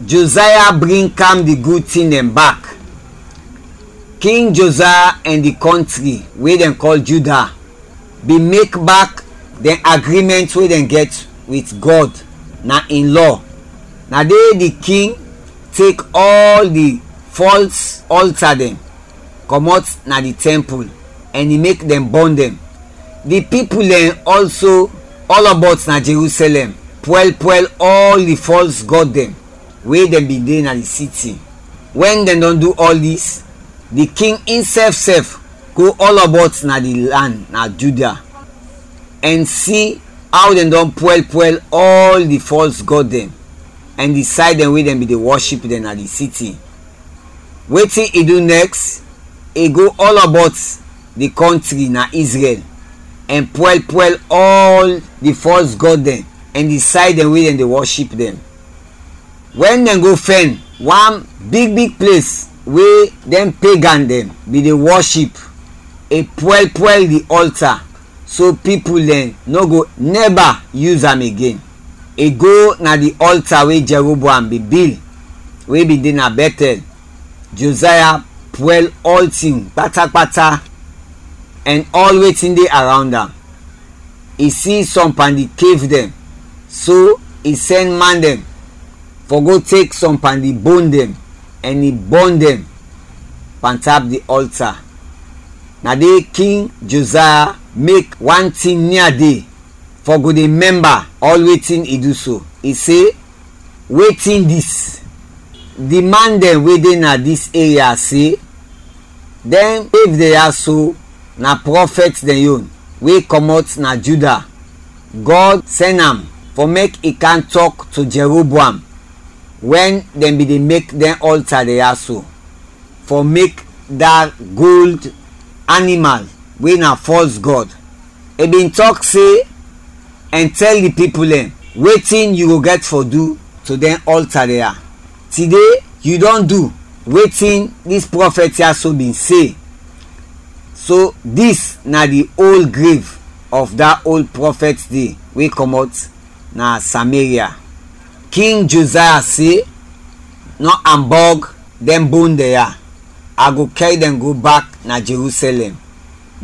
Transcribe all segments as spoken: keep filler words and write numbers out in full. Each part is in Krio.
Josaya bring kam di gud tin dɛn bak. King Josaya ɛn di kɔntri we dɛn kɔl Juda bin mek bak dɛn agrimɛnt we dɛn gɛt wit Gɔd na in lɔ. Na de di king tek ɔl di fɔls ɔlta dɛn kɔmɔt na di tɛmpul ɛn i mek dɛn bɔn dɛn. Di pipul dɛn ɔlso ɔlɔbɔt na Jerusalɛm pwɛl pwɛl ɔl di fɔls gɔd dɛn we dɛn bin de na di siti. Wɛn dɛn dɔn du ɔl dis, di king insɛf sɛf go ɔlɔbɔt na di lan na Juda ɛn si aw dɛn dɔn pwɛl pwɛl ɔl di fɔls gɔd dɛn ɛn di say dɛn we dɛn bin de wɔship dɛn na di siti. Wetin i du nɛks? I go ɔlɔbɔt di kɔntri na Izrɛl ɛn pwɛl pwɛl ɔl di fɔls gɔd dɛn ɛn di say dɛn we dɛn de wɔship dɛn. Wɛn dɛn go fɛn wan big big ples we dɛn pegan dɛn bin de wɔship, i pwɛl pwɛl di ɔlta, so pipul dɛn nɔ go nɛba yus am igen. I go na di ɔlta we Jɛroboam bin bil, we bin de na Bɛtɛl. Josaya pwɛl ɔltin kpata kpata ɛn ɔl wetin de arawnd am. I si sɔm pan di kev dɛn, so i sɛn man dɛn fɔ go tek sɔm pan di bon dɛn ɛn i bɔn dɛn pantap di ɔlta. Na de King Josaya mek wan tin nia de fɔ go de mɛmba ɔl wetin i du so. I se, wetin dis? Di man dɛn we de na dis eria se, dɛn we de ya so na prɔfɛt dɛn yon we kɔmɔt na Juda. Gɔd sɛn am fɔ mek i kam tɔk to Jɛroboam wɛn dɛn bin de mek dɛn ɔlta de ya so, fɔ mek da gold animal we na fɔls gɔd. I bin tɔk se, ɛn tɛl di pipul dɛn wetin yu go gɛt fɔ du to dɛn ɔlta de ya. Tide yu dɔn du wetin dis prɔfɛt ya so bin se. So dis na di ol grev of da ol prɔfɛt de we kɔmɔt na Sameria. King Josaya se, nɔ ambɔg dɛn bon dɛn ya, a go kɛr dɛn go bak na Jerusalɛm.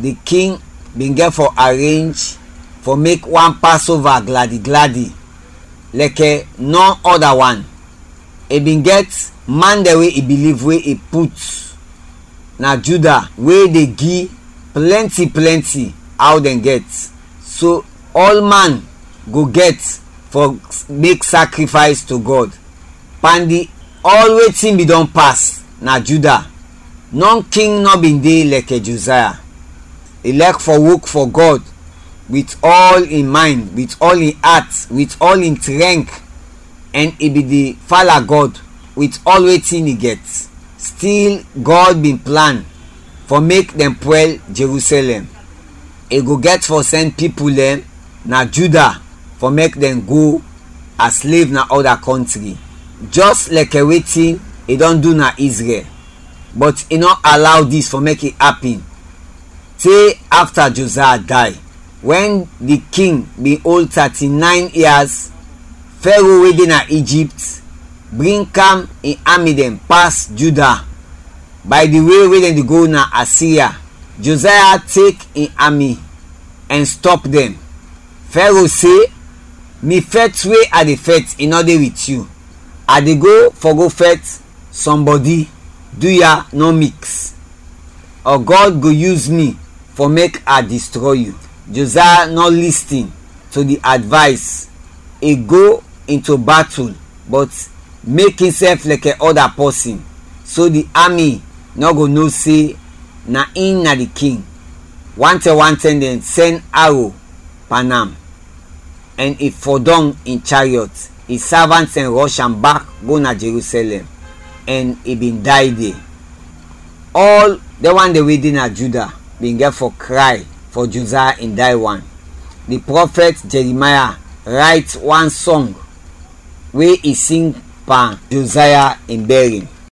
Di king bin gɛt fɔ arenj fɔ mek wan Pasova gladi gladi lɛkɛ nɔn ɔda wan. I bin gɛt man dɛn we i biliv we i put na Juda we de gi plɛnti plɛnti aw dɛn gɛt, so ɔlman go gɛt fɔ mek sakrifays to Gɔd. Pan di ɔl wetin bin dɔn pas na Juda, nɔn king nɔ bin de lɛkɛ Josaya. I lɛk fɔ wok fɔ Gɔd wit ɔl in maynd, wit ɔl in at, wit ɔl in trɛnk, ɛn i bin de fala Gɔd wit ɔl wetin i gɛt. Stil, Gɔd bin plan fɔ mek dɛn pwɛl Jerusalɛm. I go gɛt fɔ sɛn pipul dɛn na Juda fɔ mek dɛn go a slev na ɔda kɔntri, jɛs lɛkɛ wetin i dɔn du na Izrɛl. Bɔt i nɔ alaw dis fɔ mek i apin. Te afta Josaya day, wɛn di king bin ol tati-nayn yas, Fɛro we de na Ijipt bring kam in ami dɛn pas Juda bay di we we dɛn de go na Asiria. Josaya tek in ami ɛn stɔp dɛn. Fɛro se, mi fɛt we a de fɛt i nɔ de wit yu. A de go fɔ go fɛt sɔmbɔdi, du ya nɔ miks, ɔ Gɔd go yus mi fɔ mek a distrɔy yu. Josaya nɔ listin to di advays. I go into batul, bɔt mek insɛf lɛkɛ ɔda pɔsin, so di ami nɔ go no se na in na di king. Wantɛm wantɛm dɛn sɛn aro pan am, ɛn i fɔdɔm in chariɔt. In savant dɛn rɔsh am bak go na Jerusalɛm, ɛn i bin day de. Ɔl dɛn wan dɛn we de na Juda bin gɛt fɔ kray fɔ Josaya in day wan. Di prɔfɛt Jɛrimaya rayt wan sɔng we i sing pan Josaya in bɛrin.